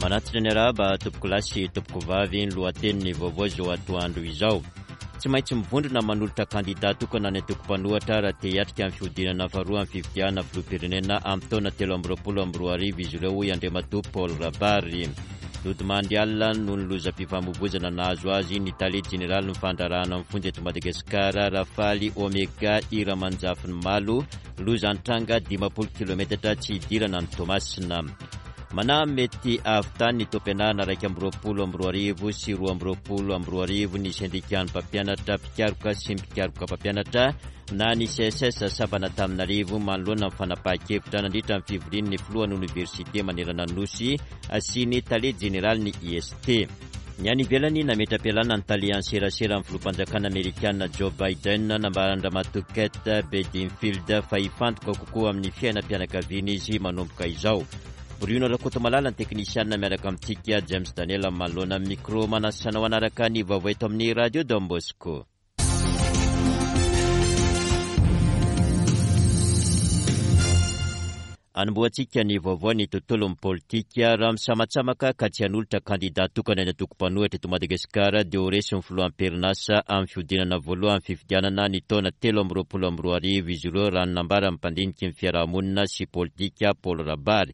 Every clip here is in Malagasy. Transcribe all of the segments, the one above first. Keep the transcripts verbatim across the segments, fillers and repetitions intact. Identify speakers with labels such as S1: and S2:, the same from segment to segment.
S1: Manatitra ny arahaba tompokolahy sy tompokovavy, ny lohatenin'ny vaovao izao atoandro izao. Tsy maintsy mivondrona manolotra kandida tokana ny antoko mpanohitra raha te hiatrika ny fihodinana faharoa amin'ny fifidianana filoham-pirenena amin'ny taona telo amby roapolo amby roa arivo izy ireo, hoy Andriamatoa Paul Rabary. Nodimandry alina noho ny lozam-pifamoivoizana nahazo azy ny tale jeneralin'ny fandraharahana amin'ny fonja eto Madagasikara, Rafaly Omega Iramanjafinimalo, loza nitranga dimampolo kilometatra tsy hidirana ny Toamasina. Manahy mety hahavitany ny taom-pianarana iraika amby roapolo amby roa arivo sy roa amby roapolo amby roa arivo ny sendikan'ny mpampianatra mpikaroka sy mpikaroka mpampianatra na ny C S S sampana Antananarivo manoloana ny fanapahan-kevitra nandritra ny fivorian'ny filohan'ny oniversite manerana ny Nosy sy ny tale jeneralin'ny I S T. Ny any ivelany nametra-pialana ny tale an-serasera amin'ny filoham-panjakana amerikana Joe Biden, nambaran-dRamatoa Kate Bedingfield fa hifantoka kokoa amin'ny fiainam-pianakaviana izy manomboka izao. Bruno Rakotomalala ny teknisianina miaraka amintsika, James Daniel manoloana amin'ny micro, manasa anao hanaraka ny vaovao eto amin'ny Radio Don Bosco. Anombohantsika ny vaovao ny tontolon'ny politika. Raha misamatsamaka ka tsy hanolotra kandida tokana ny antoko mpanohitra eto Madagasikara dia ho resin'ny filoham-perinasa amin'ny fihodinana voalohany fifidianana ny taona telo amby roapolo amby roa arivo izy ireo, raha ny nambaran'ny mpandiniky ny fiarahamonina sy politika Paul Rabary.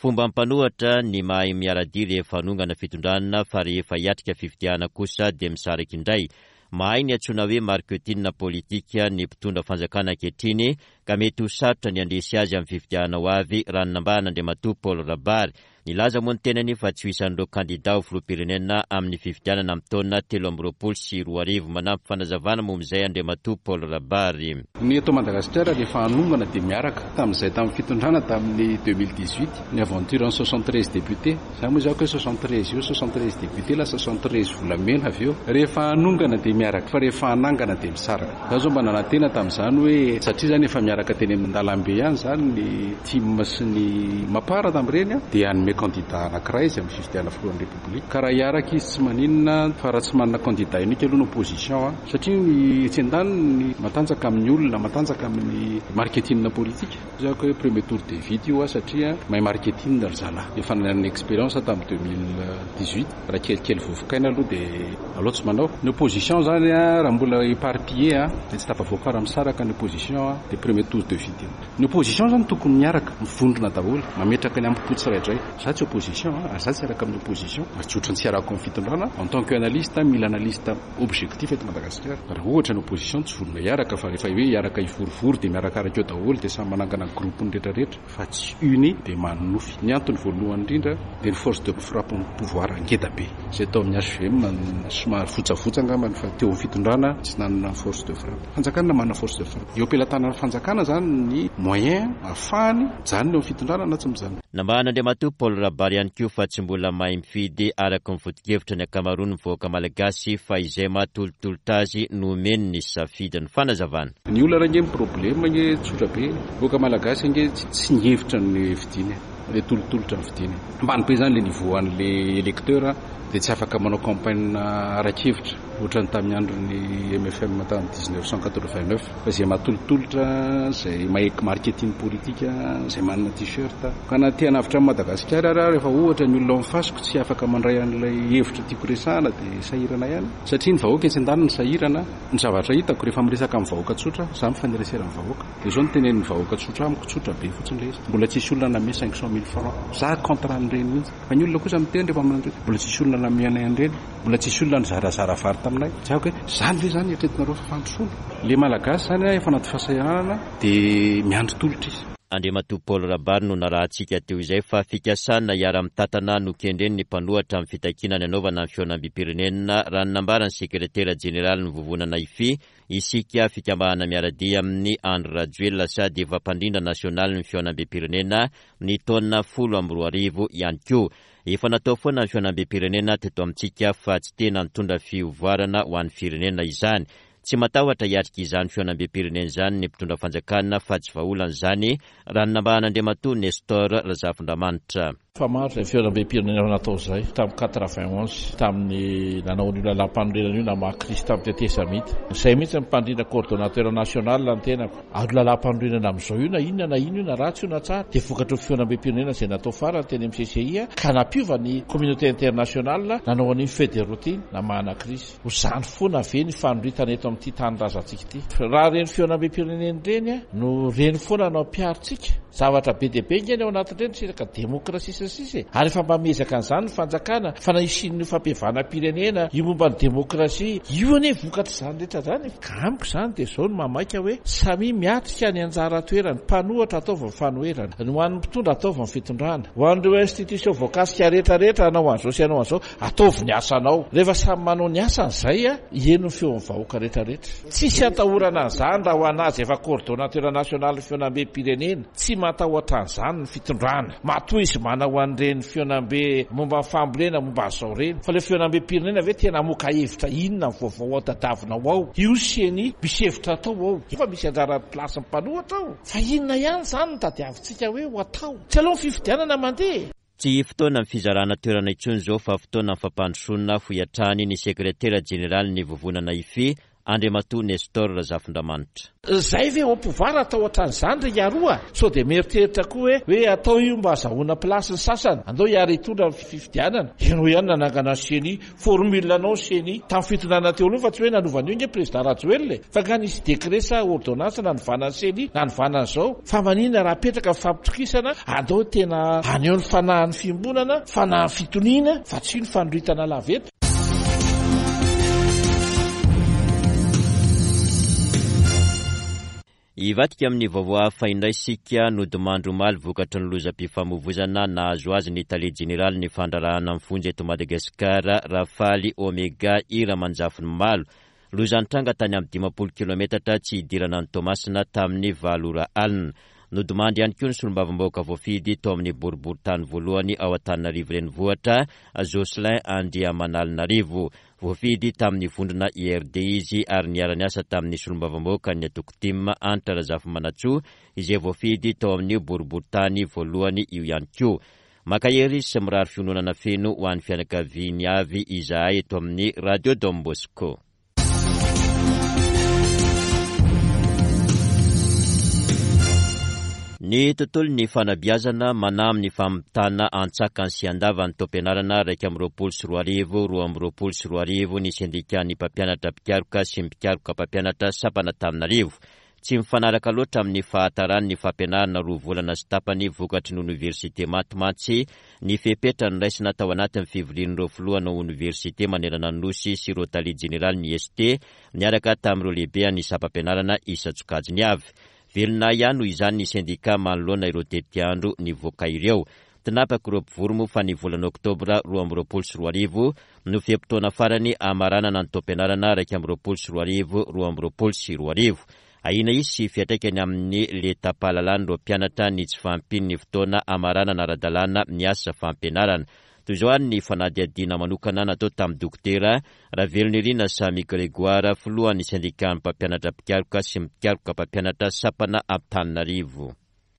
S1: Fomba mpanohitra ny mahay miara-dia rehefa hanongana fitondrana, fa rehefa hiatrika fifidianana kosa dia misaraka indray. Mahay ny antsoina hoe marketing politika ny mpitondra fanjakana ankehitriny ka mety ho sarotra ny handresy azy amin'ny fifidianana ho avy, raha ny nambaran'Andriamatoa Paul Rabary. Nilaza moa ny tenany fa tsy ho isan'ireo kandida ho filoham-pirenena amin'ny fifidianana amin'ny taona telo amby roapolo sy roa arivo. Manampy fanazavana momba izay Andriamatoa Paul Rabary.
S2: Ny eto Madagasikara rehefa hanongana dia miaraka. Tamin'izay tamin'ny fitondrana tamin'ny deux mille dix-huit, ny aventure en soixante-treize députés. Za moa izao hoe soixante-treize io, soixante-treize députés lasa soixante-treize volamena avy eo. Rehefa hanongana dia miaraka, fa rehefa hanangana dia misaraka. Za zao mba nanantena tamin'izany hoe satria zany efa miaraka teny amin'ny dalambe ihany zany ny T I M sy ny Mapar tamin'ireny dia hanome candidat anankiray izay amin'ny fifidianana filohan'ny République. Ka raha hiaraka izy tsy maninona, fa raha tsy manana candidat unique aloha ny opposition a, satria ny etsy an-daniny matanjaka amin'ny olona, matanjaka amin'ny marketing politique. Za hoe premier tour de vite io a, satria mahay marketing ry zalahy. Efa nanana expérience tamin'ny deux mille dix-huit, raha kelikely vovokaina aloha dia aloha tsy manao. Ny opposition zany a, raha mbola éparpillé a, dia tsy tafavoaka raha misaraka ny opposition a, dia premier tour de vite io. Ny opposition zany tokony miaraka, mivondrona daholo, mametraka ny ampo tsiraidray. Za tsy opposition a, ary za tsy araka amin'ny opposition, ary tsy ohatran'ny tsy arako amin'ny fitondrana. En tant que analyste, mila analyste objectif eto Madagasikara. Raha ohatra ny opposition tsy vonona hiaraka, fa rehefa hoe hiaraka hivorivory dia miarakaraka eo daholo, dia samy manangana groupe ny rehetrarehetra, fa tsy uni dia manonofy. Ny antony voalohany indrindra dia ny force de frappe ny pouvoir ngeda be. Izay tao amin'ny H V M somary votsavotsa angambany, fa teo amin'ny fitondrana tsy nanana force de frappe. Fanjakana manana force de frappe. Eo am-pelatanan'ny fanjakana zany ny moyen ahafahany mijanona eo amin'ny fitondrana na tsy mijanona.
S1: Nambaran'Andriamatoa Paul Rabary ihany koa fa tsy mbola mahay mifidy araka ny foto-kevitra ny ankamaroan'ny vahoaka malagasy, fa izay mahatolotolotra azy no omeny ny safidiny. Fanazavana.
S2: Ny olona ange ny problème ange tsotra be. Vahoaka malagasy ange tsy nihevitra ny fidiny, le tolotolotra ny fidiny. Ambany be zany le niveau an'le électeur dia tsy afaka manao campagne ara-kevitra ohatran'ny tamin'ny andron'ny M F M tamin'ny dix-neuf cent quatre-vingt-neuf. Fa izay mahatolotolotra, izay mahay marketing politique, izay manana t-shirt. Ka na te hanavotra an'i Madagasikara ary rehefa ohatra ny olona ao amin'ny fasiko tsy afaka mandray an'ilay hevitra tiako resahana dia sahirana ihany. Satria ny vahoaka etsy an-daniny sahirana. Ny zavatra hitako rehefa miresaka amin'ny vahoaka tsotra, za mifanerasera amin'ny vahoaka. Dia izao no tenenin'ny vahoaka tsotra amiko, tsotra be fotsiny ilay izy. Mbola tsisy olona nanome cinq cent mille francs. Za contre an'ireny mihitsy. Fa ny olona kosa miteny rehefa manao hoe mbola tsisy olona nanome anay an'ireny, mbola tsisy olona nizarazara vary taminay. Za hoe zany ve zany eritreretinareo fa fandrosoana? Le malagasy zany a, efa anaty fahasahiranana dia miandry tolotra izy.
S1: Andriamatoa Paul Rabary no narahantsika teo izay fa fikasana hiara-mitantana no kendren'ny mpanohitra amin'ny fitakiana ny hanaovana ny fihaonambem-pirenena, raha ny nambaran'ny sekretera jeneralin'ny Vovonana I F I, isika fikambanana miara-dia amin'ny Andry Rajoelina sady efa mpandrindra nasionalin'ny fihaonambem-pirenena ny taona folo amby roa arivo ihany koa. Efa natao foana ny fihaonambem-pirenena teto amintsika fa tsy tena nitondra fivoarana ho an'ny firenena izany. Tsy matahotra hiatrika izany fihaonambem-pirenena izany ny mpitondra fanjakana fa tsy vahaolana izany, raha ny nambaran'Andriamatoa Nestor Razafindramanitra.
S3: Fa maro izay fihaonambem-pirenena natao izay tamin'ny quatre-vingt-onze, tamin'ny nanao an'io lalàm-panorenana io namaha krizy tamin'ny tetezamita. Izay mihitsy ny mpandrindra coordonnateur national ny tenako. Ary lalàm-panorenana amin'izao io na inona na inona io na ratsy io na tsara dia vokatry ny fihaonambem-pirenena izay natao farany teny amin'ny C C I ka nampiova ny communauté internationale nanao an'iny feuille de route iny namahana krizy. Ho izany foana ve ny fanoritana eto amin'ity tanindrazantsika ity? Raha ireny fihaonambem-pirenena ireny no reny foana no ampiharintsika, zavatra be dia be nge ny ao anatin'ireny, tsy resaka demokrasia sy ny sisa e. Ary efa mba miezaka an'izany ny fanjakana fa na hisian'ny fampihavanam-pirenena io momba ny demokrasia io anie vokatr'izany rehetra izany. Ka amiko izany dia izao no mamaika hoe samy miatrika ny anjara toerany, mpanohitra ataovy ny fanoherana, ny ho an'ny mpitondra ataovy ny fitondrana, ho an'ireo institution voakasika rehetrarehetra hanao an'izao sy hanao an'izao, ataovy ny asanao. Rehefa samy manao ny asany izay a, heno ny feon'ny vahoaka rehetrarehetra. Tsisy atahorana an'izany raha ho an'azy efa coordonnateur national fihaonambem-pirenena, tsy matahotra an'izany ny fitondrana. Matoa izy manao an'ireny fihaonambe momba ny fambolena momba an'izao ireny. Fa ilay fihaonambem-pirenena ve tena hamoaka hevitra inona ny vaovao ao tadiavinao ao? Io C E N I misy hevitra atao ao. Efa misy anjara place mpanohitra ao. Fa inona ihany izany no tadiavintsika hoe ho atao? Tsy aloha ny fifidianana mandeha.
S1: Tsy fotoana ny fizarana toerana intsony izao fa fotoana ny fampandrosoana, hoy hatrany ny sekretera jeneraly ny vovonana I F I, Andriamatoa Nestor Razafindramanitra.
S3: Zay ve au pouvoir atao ohatran'izany ry aroa? Sao dia mieritreritra koa hoe hoe atao io mba azahoana place ny sasany, andao hiary hitondra ny fifidianana. Ianao ihany nanangana C E N I, formule anao C E N I tamin'ny fitondrana teo aloha fa tsy hoe nanovan'io nge président Rajoelina e. Fa nga nisy décret sa ordonnance nanovana ny C E N I, nanovana an'izao. Fa maninona raha apetraka ny fampitokisana, andao tena haneho ny fanahin'ny fiombonana, fanahin'ny fitoniana, fa tsy io ny fanoritana lava eto.
S1: Hivadika amin'ny vaovao hafa indray sika. Nodimandry omaly vokatry ny lozam-pifamoivoizana nahazo azy ny tale jeneraly ny fandraharahana amin'ny fonja eto Madagasikara, Rafaly Omega Iramanjafiny Malo. Loza nitranga tany amin'ny dimampolo kilometatra tsy hidirana ny Toamasina tamin'ny valo ora alina. Nodimandry ihany koa ny solombavambahoaka voafidy tao amin'ny boriborintany voalohany ao Antananarivo renivohitra, Jocelyn Andriamanalinarivo. Voafidy tamin'ny vondrona I R D izy ary niara-niasa tamin'ny solombavambahoaka ny antoko TIM, Hanitra Razafimanantsoa, izay voafidy tao amin'ny boriborintany voalohany io ihany koa. Mankahery sy mirary fiononana feno ho an'ny fianakaviany avy izahay eto amin'ny Radio Don Bosco. Ny tontolo ny fanabeazana mana amin'ny famitana antsakany sy andavany taom-pianarana raika amby roapolo sy roa arivo roa amby roapolo sy roa arivo ny sendikan'ny mpampianatra mpikaroka sy mpikaroka mpampianatra sampana Antananarivo. Tsy mifanaraka loatra amin'ny fahatarany ny fampianarana roa volana sy tapany vokatry ny oniversite maty mantsy ny fepetra noraisina tao anatin'ny fivorian'ireo filohana oniversite manerana ny nosy sy ireo tale jeneraly ny I S T niaraka tamin'ireo lehibe ny sampam-pianarana isan-tsokajiny avy. Velona ihany noho izany ny sendika manoloana ireo tetiandro nivoaka ireo. Tinapaka ireo mpivory moa fa ny volana oktobra roa amby roapolo sy roa arivo no fe-potoana farany amaranana ny taom-pianarana raika amby roapolo sy roa arivo roa amby roapolo sy roa arivo. Ahiana hisy fiantraikany amin'ny lentam-pahalalan'ireo mpianatra ny tsy fahampian'ny fotoana amaranana ara-dalàna ny asa fampianarana. Toy izao ary ny fanadihadiana manokana natao tamin'ny dokotera Ravelonirina Samy Grégoire, filohan'ny sendikan'ny mpampianatra mpikaroka sy mpikaroka mpampianatra sampana Antananarivo.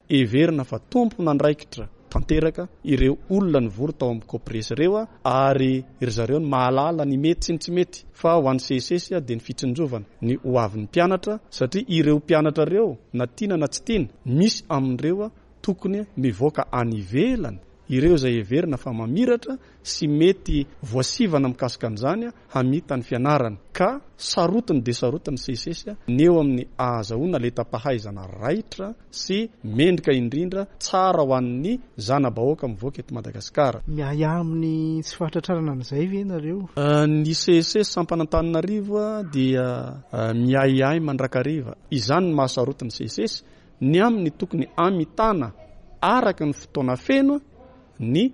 S4: Heverina fa tompon'andraikitra tanteraka ireo olona nivory tao amin'ny COPRES ireo a, ary ry zareo ny mahalala ny mety sy ny tsy mety. Fa ho an'ny C S S dia ny fitsinjovana ny ho avin'ny mpianatra, satria ireo mpianatra ireo, na tiana na tsy tiana, misy amin'ireo a tokony mivoaka any ivelany, ireo izay heverina fa mamiratra sy mety voasivana mikasika an'izany hamita ny fianarana. Ka sarotiny de sarotiny C S S ny eo amin'ny ahazahoana lentam-pahaizana raitra sy mendrika indrindra, tsara ho an'ny zana-bahoaka mivoaka eto Madagasikara.
S5: Miahiahy amin'ny tsy fahatratrarana an'izay ve nareo?
S4: Ny C S S sampana Antananarivo dia miahiahy mandrakariva izany ny mahasarotiny C S S ny amin'ny tokony amitana araka ny fotoana feno ny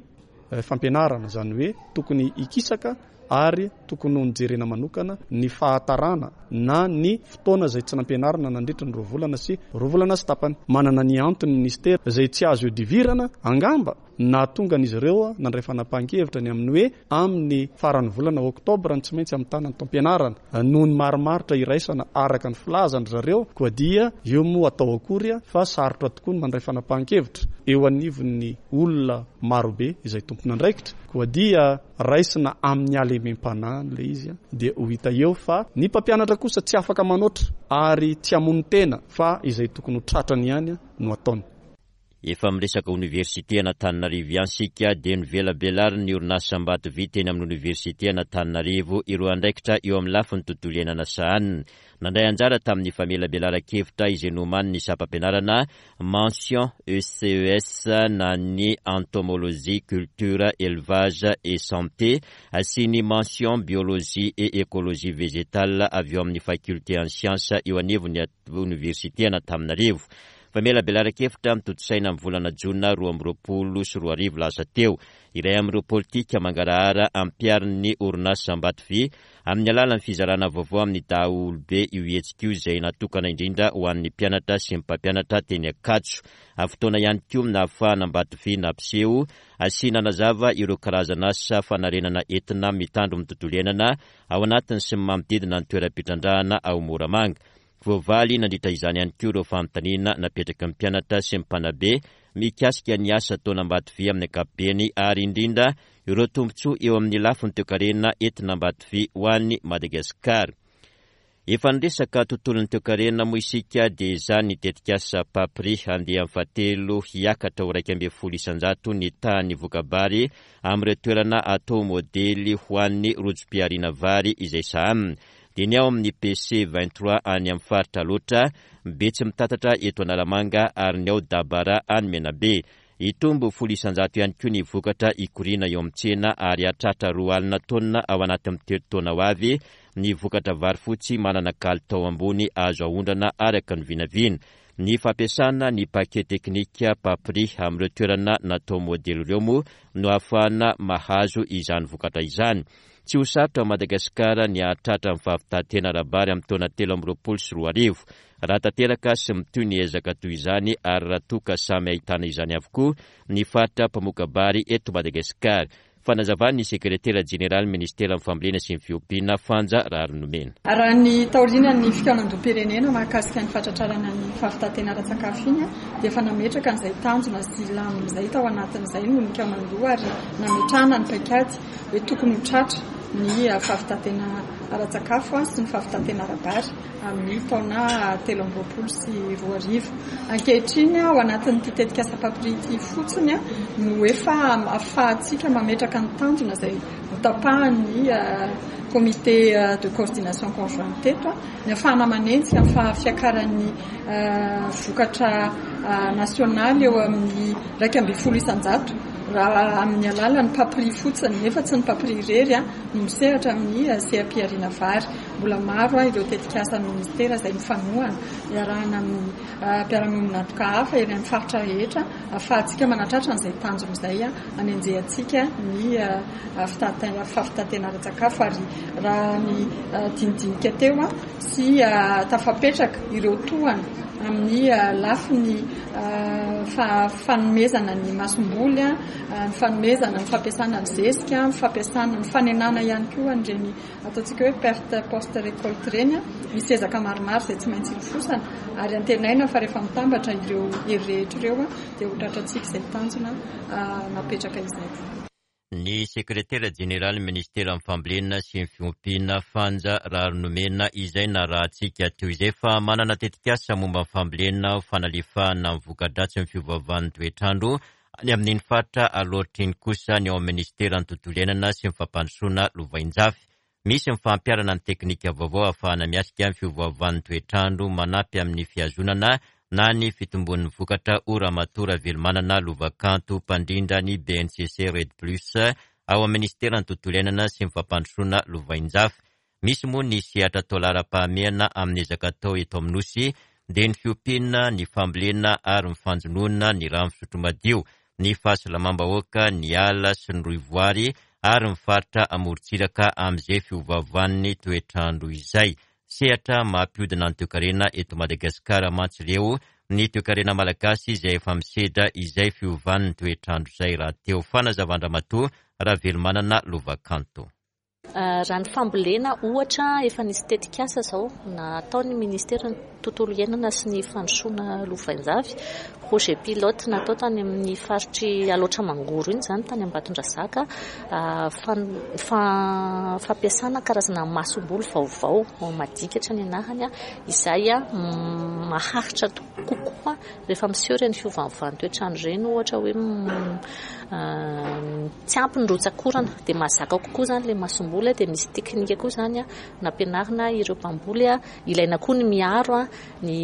S4: fampianarana, zany hoe tokony hikisaka ary tokony ho nijerena manokana ny fahatarana na ny fotoana izay tsy nampianarana nandritra ny roa volana sy roa volana sy tapany. Manana ny antony ministera izay tsy azo iodivirana angamba. Nahatonga an'izy ireo nandray fanapahan-kevitra ny amin'ny hoe amin'ny faran'ny volana oktobra ny tsy maintsy hamitana ny taom-pianarana noho ny marimaritra iraisana araka ny filazan-dry zareo. Koa dia eo moa atao akory fa sarotra tokoa ny mandray fanapahan-kevitra eo anivon'ny olona marobe izay tompon'andraikitra. Koa dia raisina amin'ny halemem-panahy ilay izy dia ho hita eo fa ny mpampianatra kosa tsy afaka manoatra ary tsy hamono tena fa izay tokony ho tratrany ihany no ataony.
S1: Efa miresaka oniversite an'Antananarivo ihany isika dia novelabelarin'ny orinasa Ambatovy teny amin'ny oniversite an'Antananarivo ireo andraikitra eo amin'ny lafiny tontolo iainana sahaniny. Nandray anjara tamin'ny famelabelaran-kevitra izay nomanin'ny sampam-pianarana mention E C E S na ny entomologie, culture, élevage et santé sy ny mention biologie et écologie végétale avy eo amin'ny faculté en sciences eo anivon'ny oniversite an'Antananarivo. Famelabelaran-kevitra mitotosaina amin'ny volana jona roa amby roapolo sy roa arivo lasa teo. Iray amin'ireo politika mangarahara ampiharin'ny orinasa Ambatovy amin'ny alalan'ny fizarana vaovao amin'ny daholobe io hetsika io izay natokana indrindra ho an'ny mpianatra sy ny mpampianatra teny Ankatso. Fotoana ihany koa nahafahana Ambatovy nampiseho sy nanazava ireo karazana asa fanarenana entina mitandro ny tontolo iainana ao anatiny sy ny manodidina ny toeram-pitrandrahana ao Moramanga. Voavaly nandritra izany ihany koa ireo fanontaniana napetraka ny mpianatra sy ny mpanabe mikasika ny asa ataon'Ambatovy amin'ny ankapobeny ary indrindra ireo tombontsoa eo amin'ny lafiny toekarena entina Ambatovy ho an'i Madagasikara. Efa niresaka tontolon'ny toekarena moa isika dia izany ny tetikasa Papri andiany fahatelo hiakatra ho iraika ambin'ny folo isanjato ny tahan'ny voka-bary amin'ireo toerana atao modely ho an'ny rojom-pihariana vary izay sahanina. Dia ny ao amin'ny P C vingt-trois any amin'ny faritra Alaotra, Betsimitatatra eto Analamanga ary ny ao Dabara any Menabe. Hitombo folo isanjato ihany koa ny vokatra ikoriana eo amin'ny tsena ary hahatratra roa alina taonina ao anatin'ny telo taona ho avy ny vokatra vary fotsy manana kalitao ambony azo aondrana araka ny vinavina. Ny fampiasana ny paquet teknika Papri amin'ireo toerana natao modely ireo moa no ahafahana mahazo izany vokatra izany. Tsy ho sarotra Madagasikara ny hahatratra ny fahavitantena ara-bary amin'ny taona telo amby roapolo sy roa arivo. Raha tanteraka sy mitohy ny ezaka toy izany ary raha toa ka samy ahitana izany avokoa ny faritra mpamoka-bary eto Madagasikara. Fanazavan'ny sekretera jeneraly ministeran'ny fambolena sy ny fiompiana Fanja Raharinomena.
S6: Raha ny taorian'ny fikaonandoham-pirenena mahakasika ny fatratrarana ny fahavitantena ara-tsakafo iny dia efa nametraka an'izay tanjona sy lamina izay tao anatin'izay no nikaonandoha ary nametrahana ny paikady hoe tokony ho tratra ny fahavitantena ara-tsakafo sy ny fahavitantena ara-bary amin'ny taona telo amby roapolo sy roa arivo. Ankehitriny ao anatin'ity tetikasa Papri ity fotsiny no efa ahafahantsika mametraka ny tanjona izay notapahan'ny comité de coordination conjointe teto, ny ahafahana manenjika ny fahafiakaran'ny vokatra nasionaly eo amin'ny iraika ambin'ny folo isanjato raha amin'ny alalan'ny Papri fotsiny, nefa tsy ny Papri irery no misehatra amin'ny seha-pihariana vary. Mbola maro ireo tetikasa ministera izay mifanohana iarahana amin'ny mpiara-miombon'antoka hafa eny amin'ny faritra rehetra ahafahantsika manatratra an'izay tanjona izay anenjehantsika ny fahavitantena ara-tsakafo. Ary raha ny dinidinika teo sy tafapetraka ireo tohana amin'ny lafiny fanomezana ny masomboly, ny fanomezana ny fampiasana ny zezika, ny fampiasana ny fanenana ihany koa an'ireny ataontsika hoe perte post récolte ireny, misy ezaka maromaro izay tsy maintsy ilofosana ary antenaina fa rehefa mitambatra ireo hery rehetra ireo dia ho tratrantsika izay tanjona napetraka izay.
S1: Ny sekretera jeneraly ministeran'ny fambolena sy ny fiompiana Fanja Raharinomena izay narahantsika teo izay fa manana tetikasa momba ny fambolena fanalefahana ny voka-dratsy ny fiovaovan'ny toetrandro any amin'iny faritra Alaotra iny kosa ny ao amin'ny ministeran'ny tontolo iainana sy ny fampandrosoana lovainjafy. Misy ny fampiharana ny teknika vaovao ahafahana miatrika ny fiovaovan'ny toetrandro manampy amin'ny fihazonana na ny fitombon'ny vokatra ho Ramatoa Ravelomanana Lovakanto mpandrindra ny B N C C Red Plus ao amin'ny ministeran'ny tontolo iainana sy ny fampandrosoana lovainjafy. Misy moa ny sehatra atao laharam-pahamehana amin'ny ezaka atao eto amin'ny Nosy dia ny fiompiana, ny fambolena ary ny fanjonoana, ny rano fisotro madio, ny fahasalamam-bahoaka, ny ala sy ny rohivoary ary ny faritra amorontsiraka amin'izay fiovaovan'ny toetrandro izay. Sehatra mampiodina ny toekarena eto Madagasikara mantsy ireo ny toekarena malagasy izay efa misedra izay fiovan'ny toetrandro izay rahateo. Fanazavan-dRamatoa Ravelomanana Lovakanto.
S7: Raha ny fambolena ohatra, efa nisy tetikasa izao nataon'ny ministeran'ny tontolo iainana sy ny fandrosoana lovainjafy, projet pilote natao tany amin'ny faritry Alaotra Mangoro iny izany, tany Ambatondrazaka, fampiasana karazana masomboly vaovao madikatra ny anarany, izay maharitra kokoa rehefa miseho ireny fiovan'ny toetrandro ireny, ohatra hoe tsy ampy ny rotsakorana dia mahazaka kokoa izany ilay masomboly. Dia misy teknika koa izany nampianarina ireo mpamboly, ilaina koa ny miaro ny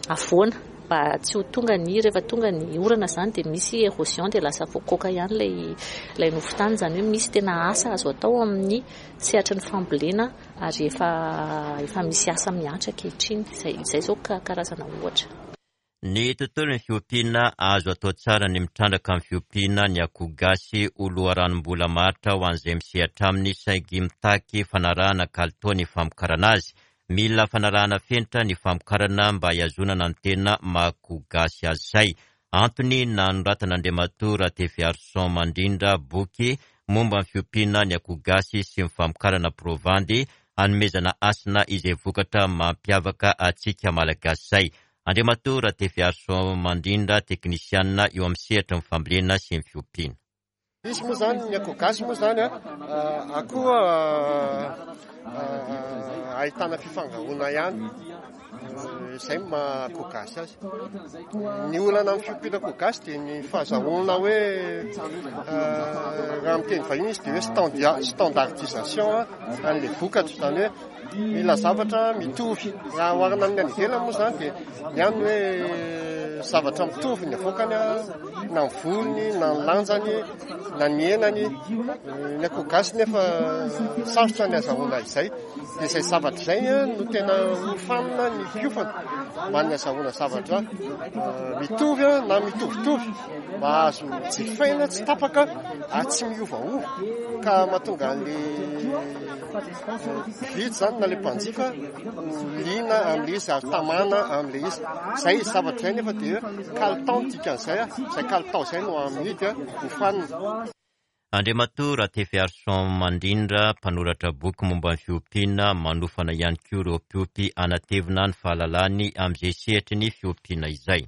S7: havoana mba tsy ho tonga ny rehefa tonga ny orana izany dia misy érosion dia lasa voakoaka ihany ilay ilay nofon-tany. Izany hoe misy tena asa azo atao amin'ny sehatry ny fambolena ary efa efa misy asa mihatra ankehitriny. Izay izay izao karazana ohatra.
S1: Ny tontolon'ny fiompiana, azo atao tsara ny mitrandraka amin'ny fiompiana ny akoho gasy ho loharanom-bola maharitra ho an'izay misehatra aminy, saingy mitaky fanarahana kalitao ny famokarana azy. Mila fanarahana fenitra ny famokarana mba hihazonana ny tena maha akoho gasy azy izay. Antony nanoratan'Andriamatoa Ratefiarison Mandrindra boky momba ny fiompiana ny akoho gasy sy ny famokarana provandy, hanomezana hasina izay vokatra mampiavaka antsika malagasy izay. Andriamatoa Ratefiarison Mandrindra, teknisianina eo amin'ny sehatry ny fambolena sy ny fiompiana.
S8: Izy moa izany, ny akoho gasy moa izany, akoho ahitana fifangaroana ihany, izay no maha akoho gasy azy. Ny olana amin'ny fiompiana akoho gasy dia ny fahazahoana hoe, raha amin'ny teny vahiny izy dia hoe standardisation an'ilay vokatra, izany hoe mila zavatra mitovy. Raha oharina amin'ny any ivelany moa izany dia ny any hoe zavatra mitovy ny avoakany, na ny volony, na ny lanjany, na ny henany. Ny akoho gasy nefa sarotra ny azahoana izay. Dia izay zavatra izay no tena hofanina ny mpiofana mba ny azahoana zavatra mitovy na mitovitovy mba azo jifaina tsy tapaka ary tsy miovaova, ka mahatonga an'ilay mpividy izany na ilay mpanjifa ho liana amin'ilay izy ary tamana amin'ilay izy. Izay zavatra izay nefa dia kalitao no dikan'izay, izay kalitao izay no amidy hofanina.
S1: Andriamatoa Ratefiarison Mandrindra, mpanoratra boky momba ny fiompiana, manofana ihany koa ireo mpiompy hanatevina ny fahalalany amin'izay sehatry ny fiompiana izay.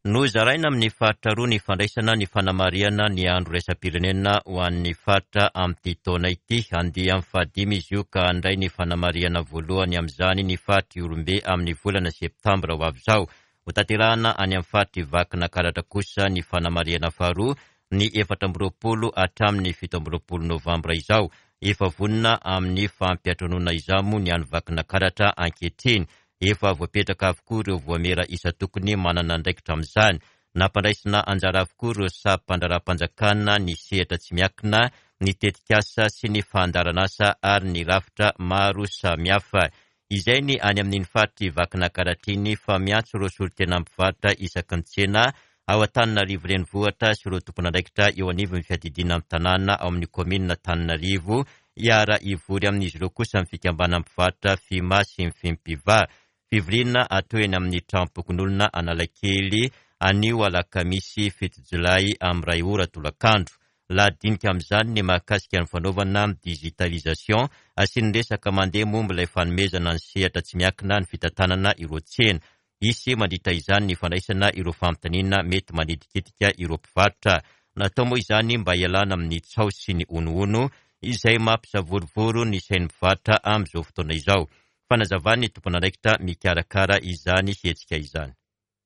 S1: Nozaraina amin'ny faritra roa ny fandraisana ny fanamarihana ny andro iraisam-pirenena ho an'ny faritra amin'ity taona ity. Andiany fahadimy izy io ka handray ny fanamarihana voalohany amin'izany ny faritry Ihorombe amin'ny volana septambra ho avy izao. Hotanterahana any amin'ny faritry Vakinankaratra kosa ny fanamarihana faharoa ny efatra amby roapolo hatramin'ny fito amby roapolo novambra izao. Efa vonona amin'ny fampiantranoana izany moa ny any Vakinankaratra ankehitriny. Efa voapetraka avokoa ireo voamera isan-tokony manana andraikitra amin'izany. Nampandraisina anjara avokoa ireo sampandraharaham-panjakana, ny sehatra tsy miankina, ny tetikasa sy ny fandaharanasa ary ny rafitra maro samihafa. Izay ny any amin'iny faritry Vakinankaratra iny fa miantso ireo solontena mpivarotra isaky ny tsena ao Antananarivo renivohitra sy ireo tompon'andraikitra eo anivon'ny fiadidiana ny tanàna ao amin'ny kaominina Antananarivo. Hiara hivory amin'izy ireo kosa ny fikambanana mpivarotra FIMA sy ny FIMPIVA. Fivoriana atao eny amin'ny tranom-pokonolona Analakely anio alakamisy fito jolay amin'ny iray ora tolakandro. Lahadinika amin'izany ny mahakasika ny fanaovana digitalisation, asian'ny resaka mandeha momba ilay fanomezana ny sehatra tsy miankina ny fitantanana ireo tsena. Hisy mandritra izany ny fandraisana ireo fanontaniana mety manitikitika ireo mpivarotra. Natao moa izany mba hialana amin'ny tsaho sy ny honohono izay mampisavorovoro ny sain'ny mpivarotra amin'izao fotoana izao. Fanazavan'ny tompon'andraikitra mikarakara izany hetsika izany.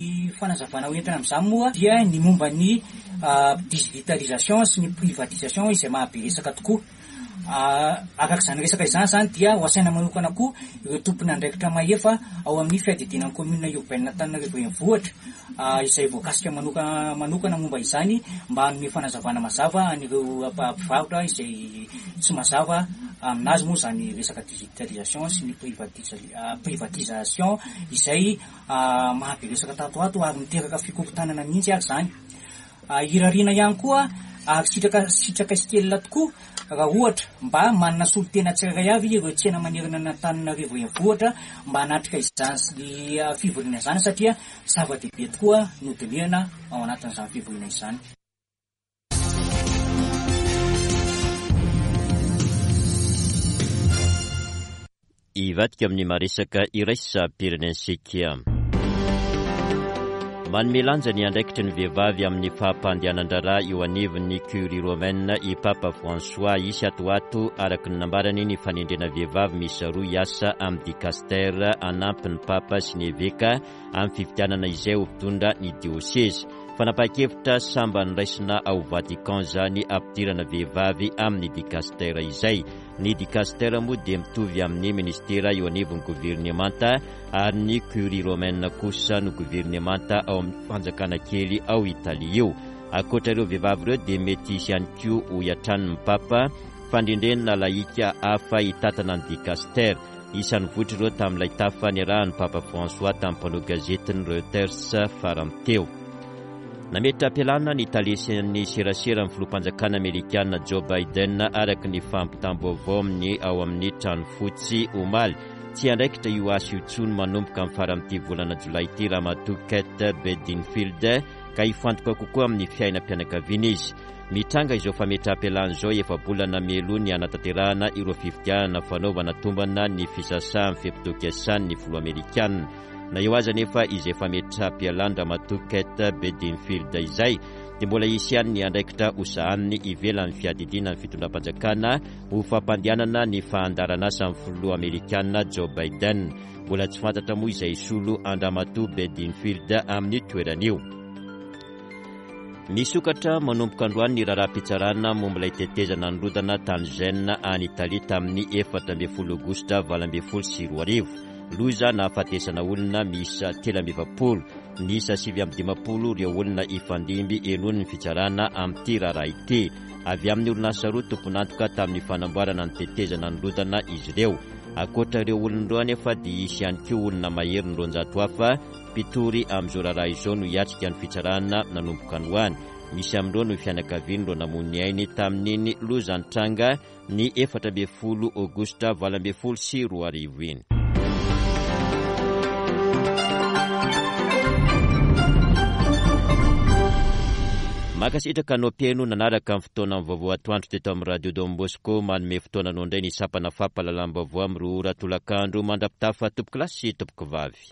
S9: Ny fanazavana hoentina amin'izany moa dia ny momba ny digitalisation sy ny privatisation izay mahabe resaka tokoa. Araka izany resaka izany izany dia ho asaina manokana koa ireo tompon'andraikitra mahefa ao amin'ny fiadidiana ny commune urbaine Antananarivo renivohitra izay voakasika manokana manokana momba izany mba hanome fanazavana mazava an'ireo mpivarotra izay tsy mazava aminazy moa izany resaka digitalisation sy ny privatisation izay mahabe resaka tato ato ary miteraka fikorontanana mihitsy ary izany. Irariana ihany koa ary sitraka sitraka sy kelina tokoa Raha ohatra mba manana solontena tsirairay avy ireo tsena manerana an'Antananarivo renivohitra mba hanatrika izany fivoriana izany, satria zava-dehibe tokoa no dinihana ao anatin'izany fivoriana izany.
S1: Hivadika amin'ny maresaka iraisam-pirenentsika. Manome lanja ny andraikitry ny vehivavy amin'ny fampandehanan-draharaha eo anivon'ny Curie romaine i Papa François. Hisy atoato araka ny nambarany ny fanendrena vehivavy miisa roa hiasa amin'ny dicaster hanampy ny Papa sy ny eveka amin'ny fifidianana izay ho mpitondra ny diosezy. Fanapahan-kevitra sambany raisina ao Vatican izany ampidirana vehivavy amin'ny dicaster izay. Ny dicaster moa dia mitovy amin'ny ministera eo anivon'ny governemanta, ary ny Curie romaine kosa no governemanta ao amin'ny fanjakana kely ao Italia io. Ankoatra ireo vehivavy ireo dia mety hisy ihany koa hoy hatrany ny Papa fandrendrena lahika hafa hitatana ny dicaster. Isan'ny votra ireo tamin'ilay tafa niarahan'ny Papa François tamin'ny mpanao gazetiny Reuters farany teo. Nametra-pialana ny talesin'ny serasera amin'ny filoham-panjakana amerikana Joe Biden araka ny fampitam-baovao amin'ny ao amin'ny trano fotsy omaly. Tsy andraikitra io asa io intsony manomboka amin'ny faran'ity volana jolay ity Ramatoa Kate Bedingfield, ka hifantoka kokoa amin'ny fiainam-pianakaviana izy. Mitranga izao fametraham-pialana izao efa-bolana mialoha ny hanatanterahana ireo fifidianana fanaovana tombana ny fisasahan'ny fe-potoam-piasan'ny filoha amerikana. Na eo aza nefa izay fametraham-pialana Ramatoa Kate Bedingfield izay dia mbola hisy ihany ny andraikitra hosahaniny ivelan'ny fiadidiana ny fitondram-panjakana ho fampandehanana ny fandaharan'asan'ny filoha amerikana Joe Biden. Mbola tsy fantatra moa izay hisolo an-dRamatoa Bedingfield amin'ny toerana io. Misokatra manomboka androany ny raharaham-pitsarana momba ilay tetezana nirodana tany Gênes any Italia tamin'ny efatra ambin'ny folo aogositra valo ambin'ny folo sy roa arivo. Loza nahafatesana olona miisa telo amby efapolo, miisa sivy amby dimampolo ireo olona ifandimby henoin'ny fitsarana amin'ity raharaha ity. Avy amin'ny orinasa roa tompon'antoka tamin'ny fanamboarana ny tetezana nirodana izy ireo. Ankoatra ireo olona ireo anefa dia hisy ihany koa olona mahery ny roanjato hafa mpitory amin'izao raharaha izao no hiatrika ny fitsarana nanomboka androany. Misy amin'ireo no fianakavian'ireo namoy ny ainy tamin'iny loza nitranga ny efatra ambin'ny folo aogositra valo ambin'ny folo sy roa arivo iny. Mankasitraka anao mpihaino nanaraka ny fotoana vaovao atoandro teto amin'ny Radio Don Bosco. Manome fotoana anao indray ny sampana fampahalalam-baovao amin'ny roa ora tolakandro. Mandra-pitafa tompoko lahy sy tompoko vavy.